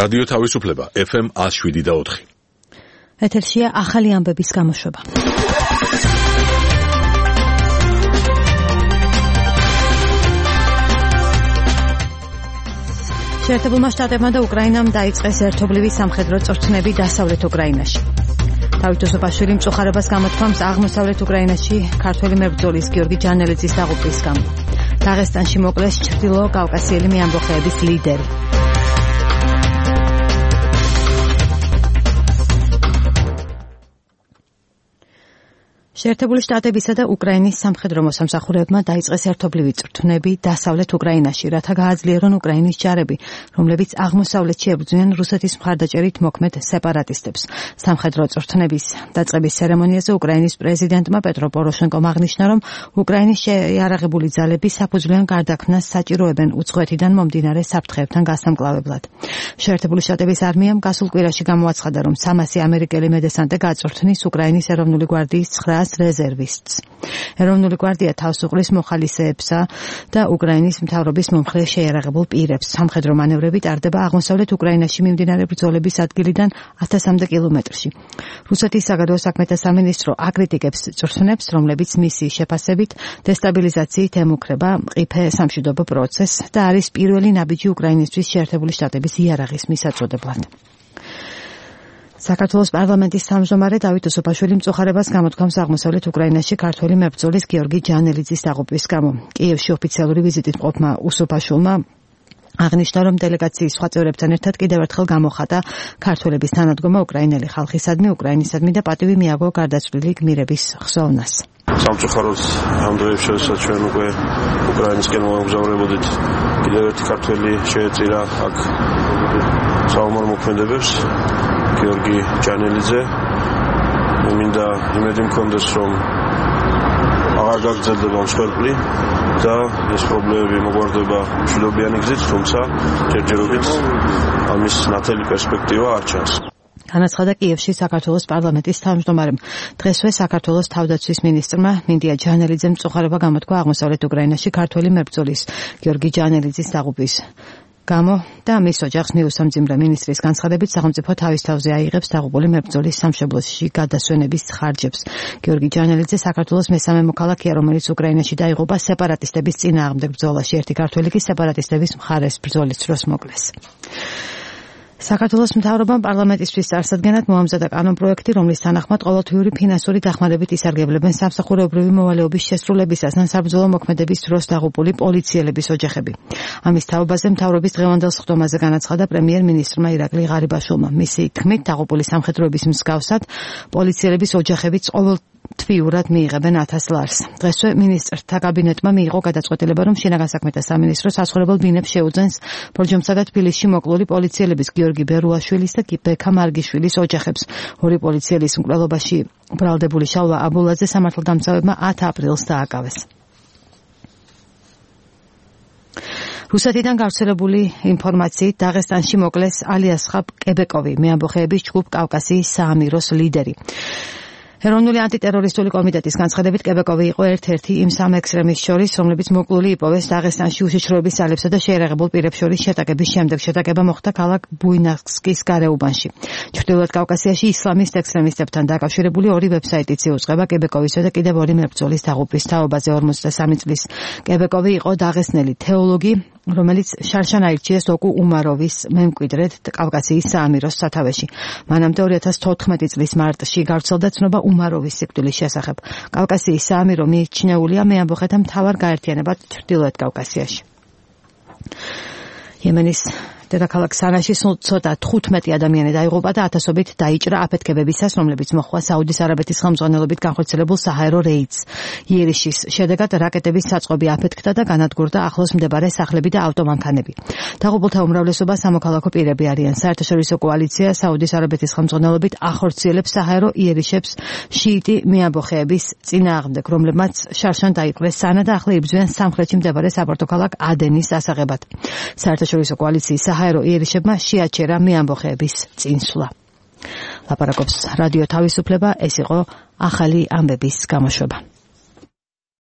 რადიო თავისუფლება FM 107.4. ეთერშია ახალი ამბების გამოშვება. შეერთებულმა შტატებმა და უკრაინამ დაიწყეს ერთობლივი სამხედრო წვრთნები დასავლეთ უკრაინაში. დავით ოსოპაშვილი მწუხარებას გამოთქვამს აღმოსავლეთ უკრაინაში ქართველი მებრძოლის გიორგი ჯანელიძის დაღუპვის გამო. დაღესტანში მოკლეს ჩრდილო კავკასიელი მეამბოხეების ლიდერი. შეერთებული შტატებისა და უკრაინის სამხედრო მოსამსახურეებმა დაიწყეს ერთობლივი წვრთნები დასავლეთ უკრაინაში, რათა გააძლიერონ უკრაინის ჯარები, რომლებიც აღმოსავლეთში ებრძვიან რუსეთის მხარდაჭერით მოქმედ სეპარატისტებს. სამხედრო წვრთნების დაწყების ცერემონიაზე უკრაინის პრეზიდენტმა პეტრო პოროშენკომ აღნიშნა, რომ უკრაინის შეიარაღებული ძალები საფუძვლიან გარდაქმნას საჭიროებენ უცხოეთიდან მომდინარე საფრთხეებთან გასამკლავებლად. შეერთებული შტატების არმიამ გასულ კვირაში გამოაცხადა, რომ 300 ამერიკელი მედესანტე გაწვრთნის უკრაინის ეროვნული გვარდიის 900 რეზერვისტს. ეროვნული გვარდია თავს უყრის მოხალისეებსა და უკრაინის მთავრობის მომხრე შეიარაღებულ პირებს. სამხედრო მანევრები ტარდება აღმოსავლეთ უკრაინაში მიმდინარე ბრძოლების ადგილიდან 1000-მდე კილომეტრში. რუსეთის საგარეო საქმეთა სამინისტრო აკრიტიკებს წვრთნებს, რომლებიც მისიის შეფასებით დესტაბილიზაციით ემუქრება მყიფე სამშვიდობო პროცესს და არის პირველი ნაბიჯი უკრაინისთვის შეერთებული შტატების იარაღის მისაწოდებლად. საქართველოს პარლამენტის თავმჯდომარე დავით ოსოპაშვილი მწუხარებას გამოთქვამს აღმოსავლეთ უკრაინაში ქართველი მებრძოლის გიორგი ჯანელიძის დაღუპვის გამო. კიევში ოფიციალური ვიზიტით მყოფმა ოსოპაშვილმა აღნიშნა, რომ დელეგაციის სხვა წევრებთან ერთად კიდევ ერთხელ გამოხატა ქართველების თანადგომა უკრაინელი ხალხისადმი, უკრაინისადმი და პატივი მიაგო გარდაცვლილი გმირების ხსოვნას. სამწუხაროდ ამ დღეებში, როდესაც ჩვენ უკვე უკრაინისკენ მოგზაურობდით, კიდევ ერთი ქართველი შეეწირა აქ საომარ მოქმედებებს, გიორგი ჯანელიძე. მინდა იმედი მქონდეს, რომ აღარ გაგრძელდება მსხვერპლი და ეს პრობლემები მოგვარდება მშვიდობიანი გზით, თუმცა ჯერჯერობით ამის ნათელი პერსპექტივა არ ჩანს. განაცხადა კიევში საქართველოს პარლამენტის თავმჯდომარემ. დღესვე საქართველოს თავდაცვის მინისტრმა მინდია ჯანელიძემ მწუხარება გამოთქვა აღმოსავლეთ უკრაინაში ქართველი მებრძოლის გიორგი ჯანელიძის დაღუპვის გამო და მის ოჯახს მიუსამძიმრა. მინისტრის განცხადებით, სახელმწიფო თავის თავზე აიღებს დაღუპული მებრძოლის სამშობლოში გადასვენების ხარჯებს. გიორგი ჯანელიძე საქართველოს მესამე მოქალაქეა, რომელიც უკრაინაში დაიღუპა სეპარატისტების წინააღმდეგ ბრძოლაში. ერთი ქართველი კი სეპარატისტების მხარეს ბრძოლის დროს მოკლეს. საქართველოს მთავრობამ პარლამენტისთვის წარსადგენად მოამზადა კანონპროექტი, რომლის თანახმად ყოველთვიური ფინანსური დახმარებით ისარგებლებენ სამსახურეობრივი მოვალეობის შესრულებისას ან საბრძოლო მოქმედების დროს დაღუპული პოლიციელების ოჯახები. ამის თაობაზე მთავრობის დღევანდელ სხდომაზე განაცხადა პრემიერ-მინისტრმა ირაკლი ღარიბაშვილმა. მისი თქმით, დაღუპული სამხედროების მსგავსად პოლიციელების ოჯახებიც ყოველთვიურად მიიღებენ 1000 ლარს. დღესვე მინისტრთა კაბინეტმა მიიღო გადაწყვეტილება, რომ შინაგან საქმეთა სამინისტრო სასწორებელ ბინებს შეუძენს ბორჯომსა და თბილისში მოკლული პოლიციელების გიორგი ბერუაშვილის და ბექა მარგიშვილის ოჯახებს. ორი პოლიციელის მკვლელობაში ბრალდებული შალვა აბულაძე სამართალდამცავებმა 10 აპრილს დააკავეს. რუსეთიდან გავრცელებული ინფორმაციით დაღესტანში მოკლეს ალიასხაბ კებეკოვი, მეამბოხეების ჯგუფ კავკასიის საამიროს ლიდერი. ეროვნული ანტიტერორისტული კომიტეტის განცხადებით კებეკოვი იყო ერთ-ერთი იმ სამ ექსტრემისტს შორის, რომლებიც მოკლული იპოვეს დაღესტანში უშიშროების ძალებსა და შეიარაღებულ პირებს შორის შეტაკების შემდეგ. შეტაკება მოხდა ქალაქ ბუინასკის გარეუბანში. ჩრდილოეთ კავკასიაში ისლამისტ ექსტრემისტებთან დაკავშირებული ორი ვებსაიტიც იუწყება კებეკოვისა და კიდევ ორი მებრძოლის დაღუპვის თაობაზე. 53 წლის კებეკოვი იყო დაღესტნელი თეოლოგი, რომელიც შარშან აირჩიეს ოკუ უმაროვის მემკვიდრედ კავკასიის საამიროს სათავეში. მანამდე 2014 წლის მარტში გავრცელდა ცნობა უმაროვის სიკვდილის შესახებ. კავკასიის საამირო მიიჩნეულია მეამბოხეთა მთავარ გაერთიანებად ჩრდილოეთ კავკასიაში. იემენის დედაქალაქ სანაში ცოტა 15 ადამიანი დაიღუპა და ათასობით დაიჭრა აფეთქებებისას, რომლებიც მოხდა საუდის არაბეთის ხელმძღვანელობით განხორციელებულ საჰაერო რეიდს. იერიშის შედეგად რაკეტების საწყობი აფეთქდა და განადგურდა ახლოს მდებარე სახლები და ავტომანქანები. დაღუპულთა უმრავლესობა სამოქალაქო პირები არიან. საერთაშორისო კოალიცია საუდის არაბეთის ხელმძღვანელობით ახორციელებს საჰაერო იერიშებს შიიტი მეამბოხეების წინააღმდეგ, რომლებმაც შარშან დაიპყრეს სანა და ახლა იბრძვიან სამხრეთში მდებარე საპორტო ქალაქ ადენის ასაღებად. საერთაშორისო კოალიციის საჰაერო იერიშებმა შეაჩერა მეამბოხეების წინსვლა. ლაპარაკობს რადიო თავისუფლება, ეს იყო ახალი ამბების გამოშვება.